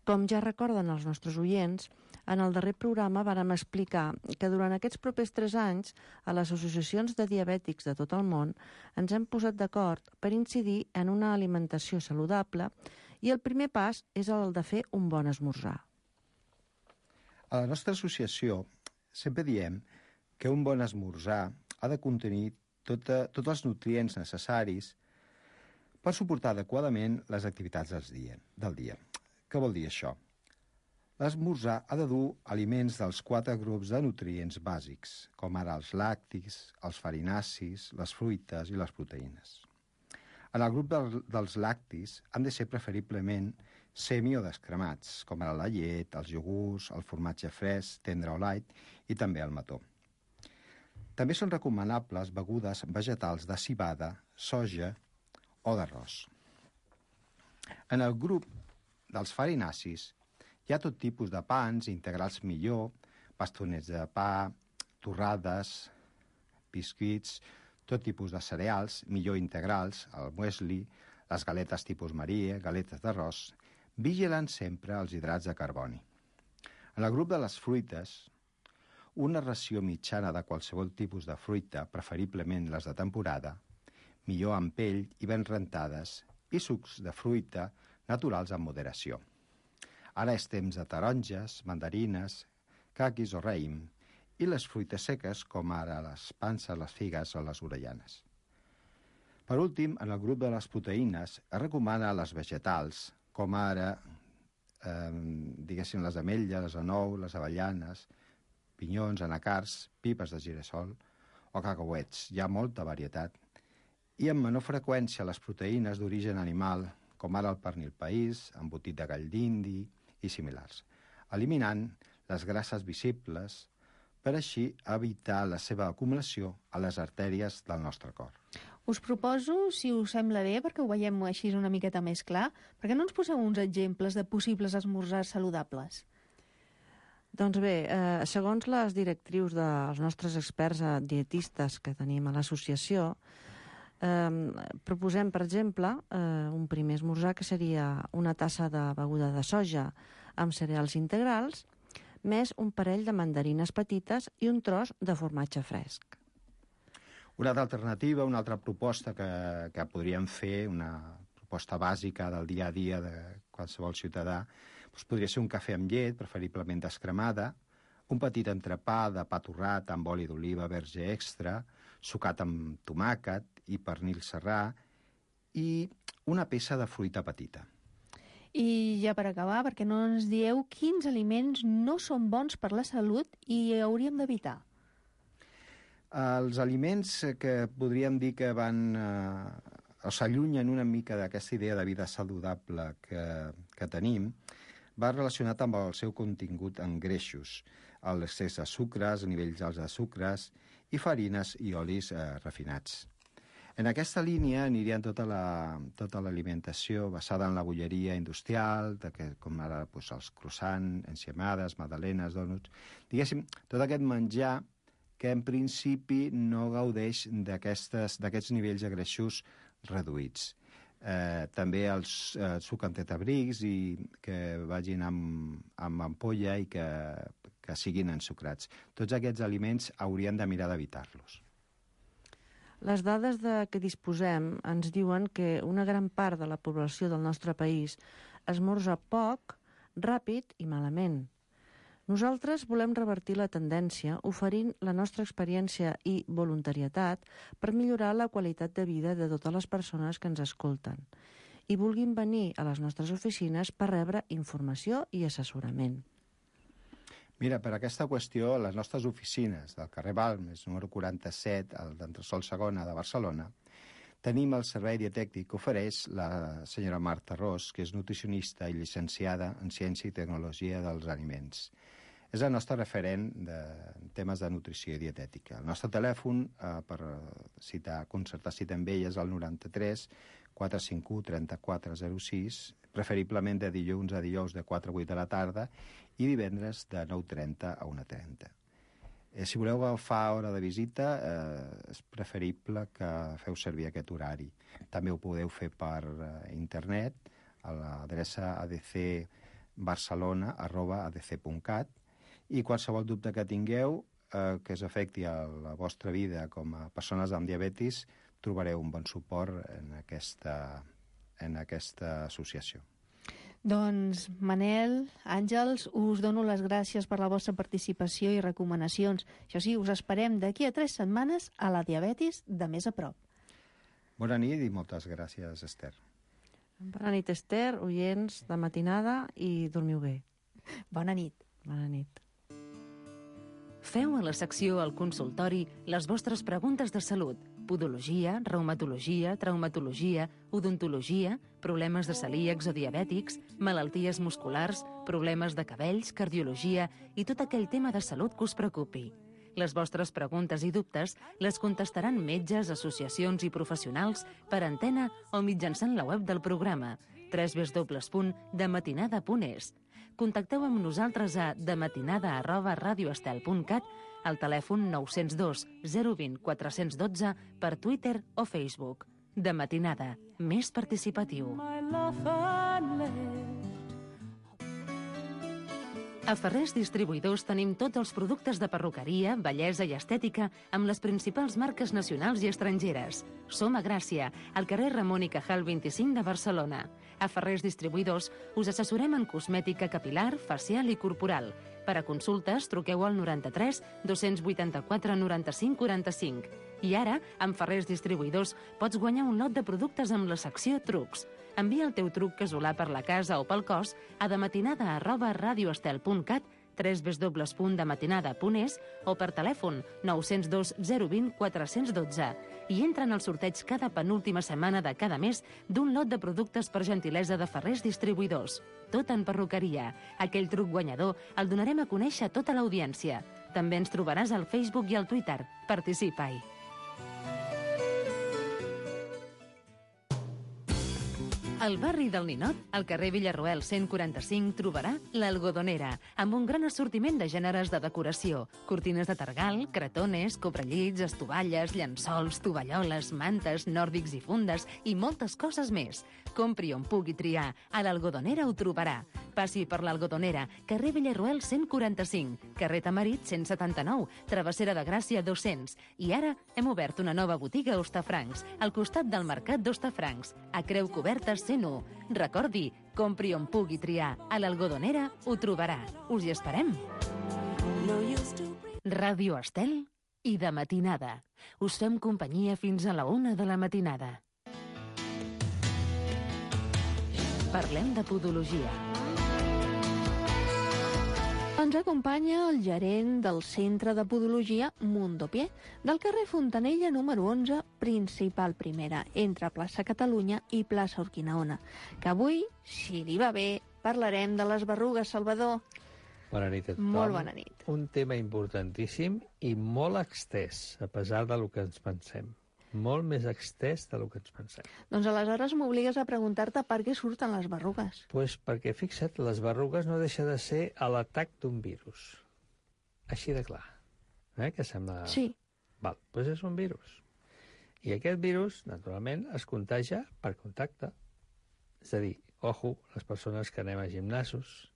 Com ja recorden els nostres oients, en el darrer programa vàrem explicar que durant aquests propers 3 anys a les associacions de diabètics de tot el món ens hem posat d'acord per incidir en una alimentació saludable i el primer pas és el de fer un bon esmorzar. A la nostra associació sempre diem que un bon esmorzar ha de contenir tots els nutrients necessaris per suportar adequadament les activitats del dia. Què vol dir això? L'esmorzar ha de dur aliments dels 4 grups de nutrients bàsics, com ara els làctics, els farinacis, les fruites i les proteïnes. En el grup dels làctics han de ser preferiblement semi o descremats, com ara la llet, els iogurts, el formatge fresc, tendre o light i també el mató. També són recomanables begudes vegetals de civada, soja o d'arròs. En el grup dels farinacis hi ha tot tipus de pans, integrals millor, bastonets de pa, torrades, biscuits, tot tipus de cereals, millor integrals, el muesli, les galetes tipus Maria, galetes d'arròs, vigilant sempre els hidrats de carboni. En el grup de les fruites, una ració mitjana de qualsevol tipus de fruita, preferiblement les de temporada, millor amb pell i ben rentades, i sucs de fruita naturals amb moderació. Ara és temps de taronges, mandarines, caquis o raïm, i les fruites seques, com ara les panses, les figues o les orellanes. Per últim, en el grup de les proteïnes, es recomana les vegetals, com ara, diguéssim, les ametlles, les anou, les avellanes, pinyons, anacars, pipes de girassol o cacauets. Hi ha molta varietat. I amb menor freqüència les proteïnes d'origen animal, com ara el pernil país, embotit de gall d'indi i similars, eliminant les grasses visibles per així evitar la seva acumulació a les artèries del nostre cor. Us proposo, si us sembla bé, perquè ho veiem així una miqueta més clar, perquè no ens poseu uns exemples de possibles esmorzars saludables? Doncs bé, segons les directrius dels nostres experts dietistes que tenim a l'associació, proposem, per exemple, un primer esmorzar que seria una tassa de beguda de soja amb cereals integrals, més un parell de mandarines petites i un tros de formatge fresc. Una altra alternativa, una altra proposta que podríem fer, una proposta bàsica del dia a dia de qualsevol ciutadà, doncs podria ser un cafè amb llet, preferiblement descremada, un petit entrepà de pa torrat amb oli d'oliva verge extra, sucat amb tomàquet i pernil serrà i una peça de fruita petita. I ja per acabar, perquè no ens dieu quins aliments no són bons per la salut i hauríem d'evitar. Els aliments que podríem dir que van o s'allunyen una mica d'aquesta idea de vida saludable que tenim, va relacionat amb el seu contingut en greixos, l'excés de sucres, nivells alts de sucres i farines i olis refinats. En aquesta línia anirien tota l'alimentació basada en la bolleria industrial, com ara els croissants, enciamades, magdalenes, dònuts. Diguéssim, tot aquest menjar que en principi no gaudeix d'aquests nivells de greixos reduïts. També els suc en tetrabrics i que vagin amb ampolla i que siguin ensucrats. Tots aquests aliments hauríem de mirar d'evitar-los. Les dades de què disposem ens diuen que una gran part de la població del nostre país esmorza poc, ràpid i malament. Nosaltres volem revertir la tendència oferint la nostra experiència i voluntarietat per millorar la qualitat de vida de totes les persones que ens escolten i vulguin venir a les nostres oficines per rebre informació i assessorament. Mira, per aquesta qüestió, les nostres oficines del carrer Balmes, número 47, al d'Entresòl Segona de Barcelona, tenim el servei dietètic que ofereix la senyora Marta Ros, que és nutricionista i llicenciada en Ciència i Tecnologia dels Aliments. És el nostre referent de temes de nutrició i dietètica. El nostre telèfon per concertar cita amb ella és el 93 451 3406, preferiblement de dilluns a dijous de 4 a 8 de la tarda i divendres de 9:30 a 1:30. Si voleu agafar hora de visita, és preferible que feu servir aquest horari. També ho podeu fer per internet a l'adreça adcbarcelona@adc.cat i qualsevol dubte que tingueu que us afecti a la vostra vida com a persones amb diabetis, trobareu un bon suport en aquesta associació. Doncs, Manel, Àngels, us dono les gràcies per la vostra participació i recomanacions. Això sí, us esperem d'aquí a 3 setmanes a la diabetis de més a prop. Bona nit i moltes gràcies, Esther. Bona nit, Esther, oients de matinada, i dormiu bé. Bona nit. Bona nit. Feu a la secció al consultori les vostres preguntes de salut. Podologia, reumatologia, traumatologia, odontologia, problemes de celíacs o diabètics, malalties musculars, problemes de cabells, cardiologia i tot aquell tema de salut que us preocupi. Les vostres preguntes i dubtes les contestaran metges, associacions i professionals per antena o mitjançant la web del programa www.dematinada.es. Contacteu amb nosaltres a dematinada@radioestel.cat, al telèfon 902 020 412, per Twitter o Facebook. De Matinada, més participatiu. A Ferrers Distribuïdors tenim tots els productes de perruqueria, bellesa i estètica amb les principals marques nacionals i estrangeres. Som a Gràcia, al carrer Ramon i Cajal 25 de Barcelona. A Ferrers Distribuïdors us assessorem en cosmètica capilar, facial i corporal. Per a consultes, truqueu al 93 284 95 45. I ara, amb Ferrers Distribuïdors, pots guanyar un lot de productes amb la secció Trucs. Envia el teu truc casolà per la casa o pel cos a dematinada@radioestel.cat, www.dematinada.es o per telèfon 902 020 412 i entra en el sorteig cada penúltima setmana de cada mes d'un lot de productes per gentilesa de Ferrers Distribuïdors. Tot en perruqueria. Aquell truc guanyador el donarem a conèixer a tota l'audiència. També ens trobaràs al Facebook i al Twitter. Participa-hi. Al barri del Ninot, al carrer Villarroel 145, trobarà l'Algodonera, amb un gran assortiment de gèneres de decoració, cortines de targal, cretones, cobrellits, estovalles, llençols, tovalloles, mantes, nòrdics i fundes i moltes coses més. Compri on pugui triar. A l'Algodonera ho trobarà. Passi per l'Algodonera, carrer Villarroel 145, carrer Tamarit 179, Travessera de Gràcia 200. I ara hem obert una nova botiga a Hostafrancs, al costat del Mercat d'Hostafrancs, a Creu Coberta 101. Recordi, compri on pugui triar. A l'Algodonera ho trobarà. Us hi esperem. Ràdio Estel i De Matinada. Us fem companyia fins a la 1 de la matinada. Parlem de podologia. Ens acompanya el gerent del Centre de Podologia Mundopié, del carrer Fontanella número 11, principal primera, entre Plaça Catalunya i Plaça Urquinaona, que avui, si li va bé, parlarem de les berrugues, Salvador. Bona nit a tothom. Molt bona nit. Un tema importantíssim i molt extès, a pesar del que ens pensem. Molt més extès del que ens pensem. Doncs aleshores m'obligues a preguntar-te per què surten les berrugues. Pues perquè, fixa't, les berrugues no deixa de ser l'atac d'un virus. Així de clar. Que sembla... Sí. Val, doncs és un virus. I aquest virus, naturalment, es contagia per contacte. És a dir, ojo, les persones que anem a gimnasos,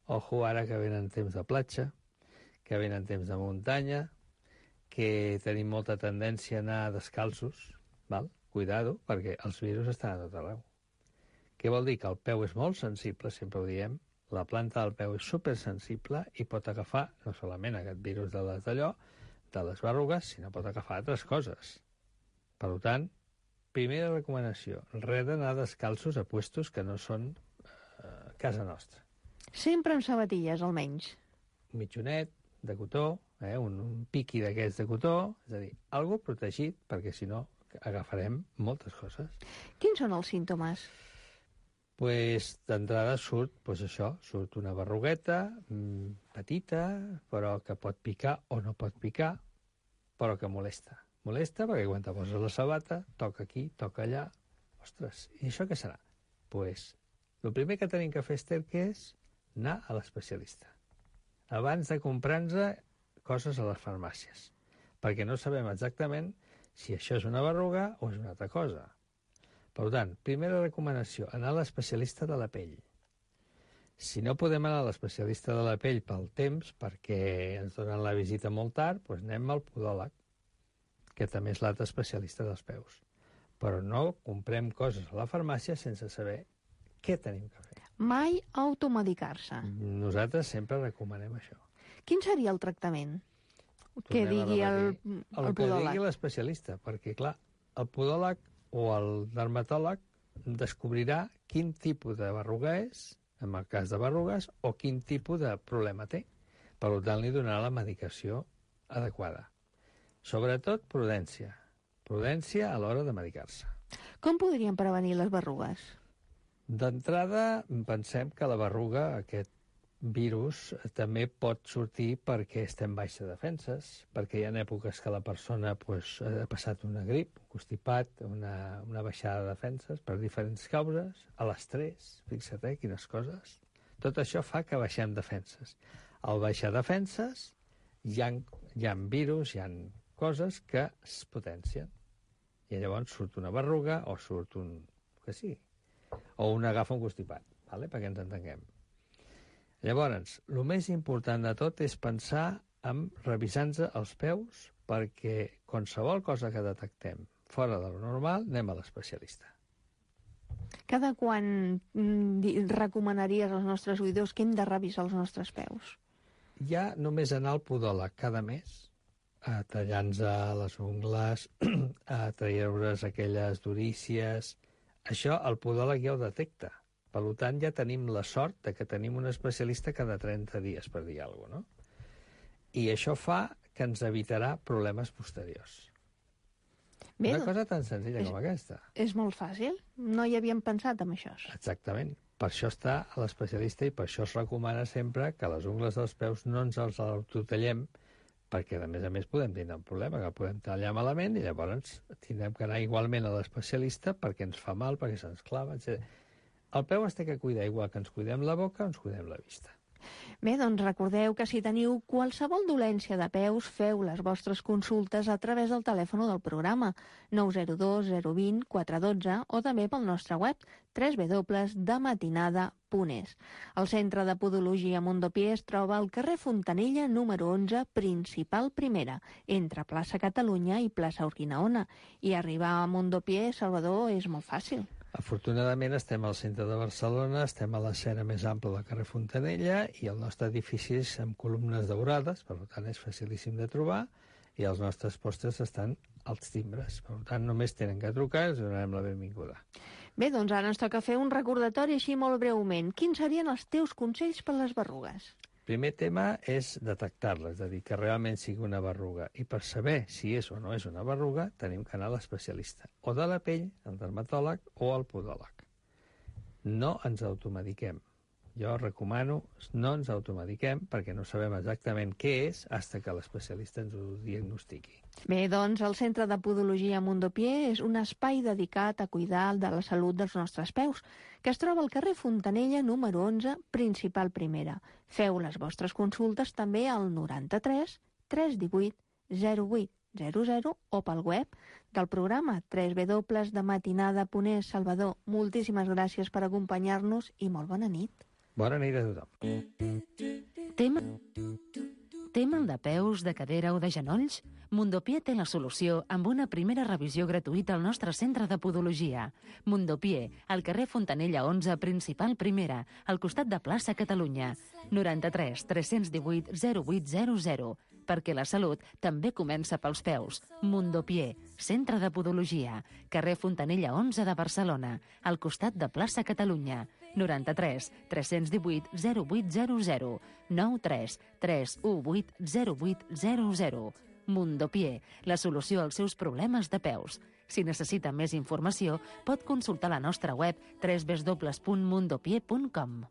ojo ara que venen temps de platja, que venen temps de muntanya, que tenim molta tendència a anar descalços, val? Cuidado, perquè els virus estan a tot arreu. Què vol dir? Que el peu és molt sensible, sempre ho diem, la planta del peu és supersensible i pot agafar no solament aquest virus de les d'allò, de les berrugues, sinó pot agafar altres coses. Per tant, primera recomanació, res d'anar descalços a puestos que no són casa nostra. Sempre amb sabatilles, almenys. Un mitjonet de cotó, un piqui d'aquests de cotó, és a dir, algo protegit, perquè si no agafarem moltes coses. Quins són els símptomes? Pues d'entrada surt, surt una berrugueta petita, però que pot picar o no pot picar, però que molesta. Molesta perquè quan te poses la sabata, toca aquí, toca allà. Ostres, i això què serà? Pues el primer que tenim que fer, Esther, que és anar a l'especialista. Abans de comprar-nos coses a les farmàcies, perquè no sabem exactament si això és una berruga o és una altra cosa. Per tant, primera recomanació, anar a l'especialista de la pell. Si no podem anar a l'especialista de la pell pel temps, perquè ens donen la visita molt tard, doncs anem al podòleg, que també és l'altre especialista dels peus. Però no comprem coses a la farmàcia sense saber què tenim que fer. Mai automedicar-se. Nosaltres sempre recomanem això. Quin seria el tractament? Que digui el podòleg. Que digui l'especialista, perquè, clar, el podòleg o el dermatòleg descobrirà quin tipus de berruga és, en el cas de berrugues, o quin tipus de problema té. Per tant, li donarà la medicació adequada. Sobretot, prudència. Prudència a l'hora de medicar-se. Com podríem prevenir les berrugues? D'entrada, pensem que la berruga, aquest virus, també pot sortir perquè estem baixes defenses, perquè hi ha èpoques que la persona ha passat una grip, un constipat, una baixada de defenses per diferents causes, a l'estrès, fixa't, quines coses. Tot això fa que baixem defenses. Al baixar defenses hi ha virus, hi ha coses que es potencien. I llavors surt una berruga o surt que sí, o agafa un constipat, perquè ens entenguem. Llavors, el més important de tot és pensar en revisar-nos els peus perquè qualsevol cosa que detectem fora de lo normal anem a l'especialista. Cada quan recomanaries als nostres oïdors que hem de revisar els nostres peus? Ja només anar al podòleg cada mes, a tallar-nos les ungles, a treure's aquelles durícies. Això el podòleg ja ho detecta. Per tant, ja tenim la sort de que tenim un especialista cada 30 dies, per dir alguna cosa, no? I això fa que ens evitarà problemes posteriors. Bé, una cosa tan senzilla com aquesta. És molt fàcil. No hi havíem pensat en això. Exactament. Per això està a l'especialista i per això es recomana sempre que les ungles dels peus no ens els autotallem, perquè, a més, podem tindre un problema, que podem tallar malament i llavors tindrem que anar igualment a l'especialista perquè ens fa mal, perquè se'ns clava, etc. El peu es té que cuidar igual que ens cuidem la boca o ens cuidem la vista. Bé, doncs recordeu que si teniu qualsevol dolència de peus, feu les vostres consultes a través del telèfon del programa 902 020 412 o també pel nostre web www.dematinada.es. El Centre de Podologia Mondopié es troba al carrer Fontanella, número 11, principal primera, entre plaça Catalunya i plaça Urquinaona. I arribar a Mondopié, Salvador, és molt fàcil. Afortunadament estem al centre de Barcelona, estem a l'escena més ampla del carrer Fontanella i el nostre edifici és amb columnes daurades, per tant és facilíssim de trobar, i els nostres postres estan als timbres. Per tant, només tenen que trucar i els donarem la benvinguda. Bé, doncs ara ens toca fer un recordatori així molt breument. Quins serien els teus consells per les berrugues? Primer tema és detectar-la, és a dir, que realment sigui una berruga. I per saber si és o no és una berruga, tenim que anar a l'especialista, o de la pell, al dermatòleg, o al podòleg. No ens automediquem. Jo recomano no ens automediquem perquè no sabem exactament què és fins que l'especialista ens ho diagnostiqui. Bé, doncs el Centre de Podologia Mondopié és un espai dedicat a cuidar de la salut dels nostres peus, que es troba al carrer Fontanella, número 11, principal primera. Feu les vostres consultes també al 93 318 08 00 o pel web del programa www.dematinada.es. Salvador, moltíssimes gràcies per acompanyar-nos i molt bona nit. Bona nit a tothom. Té mal de peus, de cadera o de genolls? Mondopié té la solució amb una primera revisió gratuïta al nostre centre de podologia. Mondopié, al carrer Fontanella 11, principal primera, al costat de plaça Catalunya. 93 318 0800. Perquè la salut també comença pels peus. Mondopié, centre de podologia, carrer Fontanella 11 de Barcelona, al costat de plaça Catalunya. 93 318 0800. 93 318 0800. Mondopié, la solució als seus problemes de peus. Si necessita més informació, pot consultar la nostra web www.mondopié.com.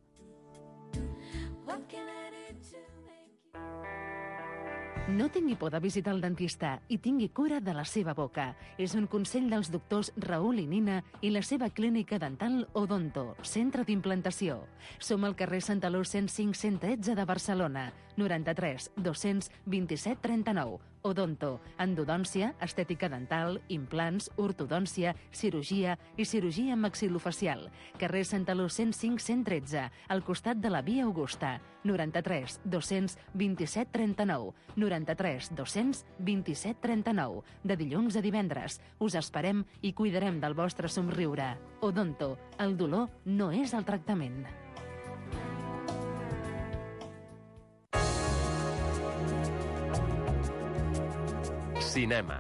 No tingui por de visitar el dentista i tingui cura de la seva boca. És un consell dels doctors Raül i Nina i la seva clínica dental Odonto, centre d'implantació. Som al carrer Santaló 105 113 de Barcelona, 93 227 39. Odonto, endodòncia, estètica dental, implants, ortodòncia, cirurgia i cirurgia maxilofacial. Carrer Santaló 105 113, al costat de la Via Augusta, 93 227 39. 93 227 39. De dilluns a divendres. Us esperem i cuidarem del vostre somriure. Odonto, el dolor no és el tractament. Cinema.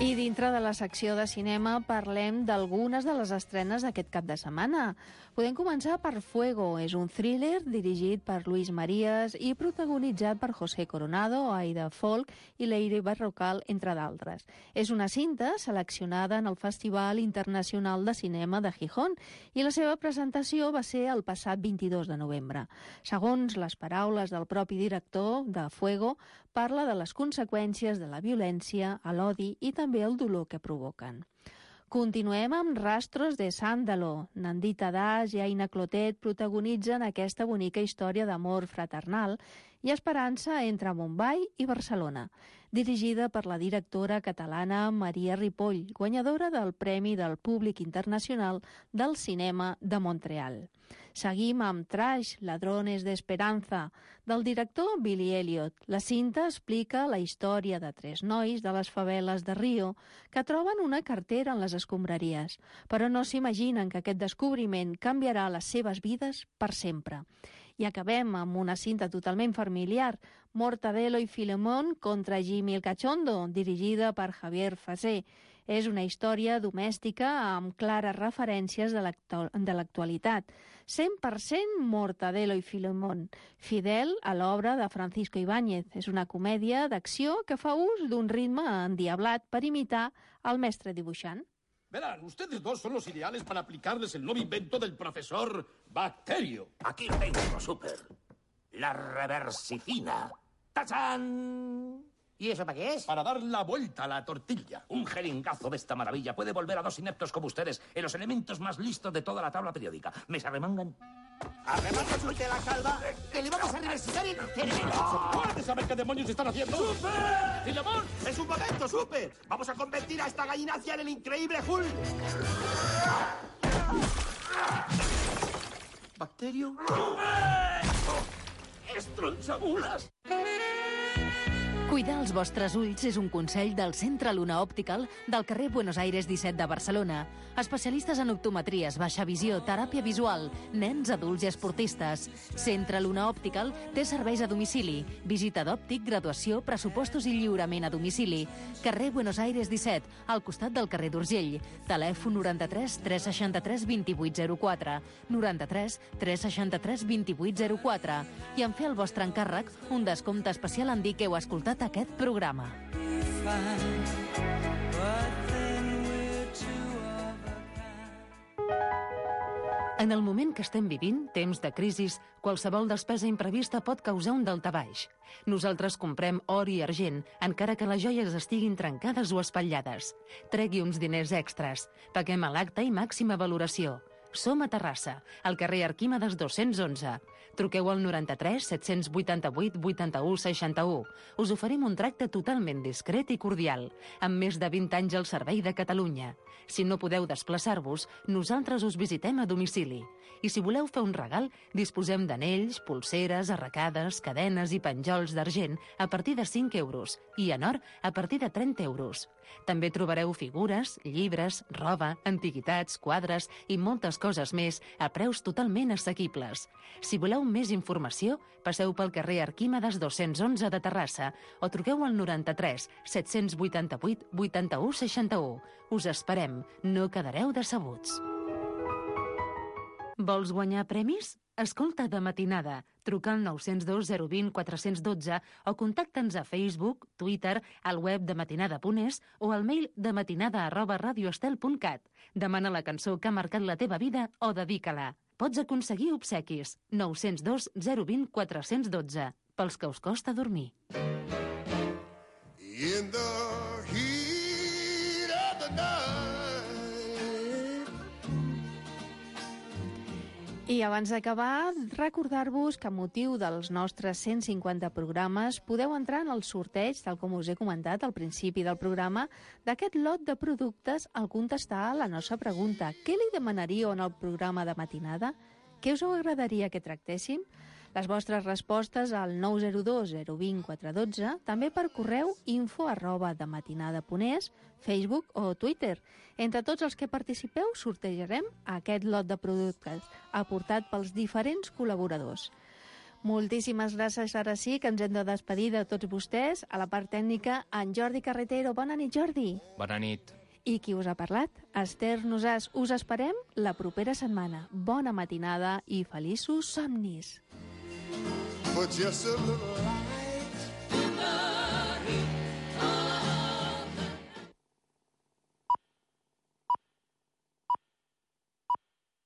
I dintre de la secció de cinema parlem d'algunes de les estrenes d'aquest cap de setmana. Podem començar per Fuego. És un thriller dirigit per Luis Marías i protagonitzat per José Coronado, Aida Folk i Leire Barrocal, entre d'altres. És una cinta seleccionada en el Festival Internacional de Cinema de Gijón i la seva presentació va ser el passat 22 de novembre. Segons les paraules del propi director de Fuego, parla de les conseqüències de la violència, l'odi i també el dolor que provoquen. Continuem amb Rastros de Sándalo. Nandita Das i Aina Clotet protagonitzen aquesta bonica història d'amor fraternal i esperança entre Mumbai i Barcelona, dirigida per la directora catalana Maria Ripoll, guanyadora del Premi del Públic Internacional del Cinema de Montreal. Seguim amb Trash, Ladrones de Esperanza, del director Billy Elliot. La cinta explica la història de 3 nois de les faveles de Rio que troben una cartera en les escombraries, però no s'imaginen que aquest descobriment canviarà les seves vides per sempre. I acabem amb una cinta totalment familiar, Mortadelo i Filemón contra Jimmy el Cachondo, dirigida per Javier Fasé. És una història domèstica amb clares referències de l'actualitat. 100% Mortadelo i Filemón, fidel a l'obra de Francisco Ibáñez. És una comèdia d'acció que fa ús d'un ritme endiablat per imitar el mestre dibuixant. Verán, ustedes dos son los ideales para aplicarles el nuevo invento del profesor Bacterio. Aquí lo tengo, Super. La reversicina. ¡Tachán! ¿Y eso para qué es? Para dar la vuelta a la tortilla. Un jeringazo de esta maravilla puede volver a 2 ineptos como ustedes en los elementos más listos de toda la tabla periódica. ¿Me se arremangan? ¡Arremanga usted la calva! ¡Que le vamos a reversitar el cerebro! ¿Puedes saber qué demonios están haciendo? ¡Super! ¡Filemón! ¡Es un momento, Super! ¡Vamos a convertir a esta gallinacia en el increíble Hulk! ¿Bacterio? ¡Estronchabulas! Cuidar els vostres ulls és un consell del Centre Luna Optical del carrer Buenos Aires 17 de Barcelona. Especialistes en optometries, baixa visió, teràpia visual, nens, adults i esportistes. Centre Luna Optical té serveis a domicili, visita d'òptic, graduació, pressupostos i lliurament a domicili. Carrer Buenos Aires 17, al costat del carrer d'Urgell. Telèfon 93 363 2804, 93 363 2804. I en fer el vostre encàrrec, un descompte especial en dir que heu escoltat aquest programa. En el moment que estem vivint, temps de crisis, qualsevol despesa imprevista pot causar un daltabaix. Nosaltres comprem or i argent, encara que les joies estiguin trencades o espatllades. Tregui uns diners extras. Paguem a l'acte i màxima valoració. Som a Terrassa, al carrer Arquímedes 211. Truqueu al 93 788 81 61. Us oferim un tracte totalment discret i cordial, amb més de 20 anys al servei de Catalunya. Si no podeu desplaçar-vos, nosaltres us visitem a domicili. I si voleu fer un regal, disposem d'anells, pulseres, arracades, cadenes i penjols d'argent a partir de 5 euros i en or a partir de 30 euros. També trobareu figures, llibres, roba, antiguitats, quadres i moltes coses més a preus totalment assequibles. Si voleu més informació, passeu pel carrer Arquímedes 211 de Terrassa o truqueu al 93 788 81 61. Us esperem, no quedareu decebuts. Vols guanyar premis? Escolta De Matinada. Truca al 902 020 412 o contacta'ns a Facebook, Twitter, al web dematinada.es o al mail dematinada@radioestel.cat. Demana la cançó que ha marcat la teva vida o dedica-la. Pots aconseguir obsequis. 902 020 412. Pels que us costa dormir. In the heat of the night. I abans d'acabar, recordar-vos que a motiu dels nostres 150 programes podeu entrar en el sorteig, tal com us he comentat al principi del programa, d'aquest lot de productes al contestar la nostra pregunta. Què li demanaríeu en el programa de matinada? Què us agradaria que tractéssim? Les vostres respostes al 902 020 412, també per correu info@dematinada.es, Facebook o Twitter. Entre tots els que participeu sortejarem aquest lot de productes aportat pels diferents col·laboradors. Moltíssimes gràcies, ara sí, que ens hem de despedir de tots vostès. A la part tècnica, en Jordi Carretero. Bona nit, Jordi. Bona nit. I qui us ha parlat? Esther Nosàs. Us esperem la propera setmana. Bona matinada i feliços somnis. But just a little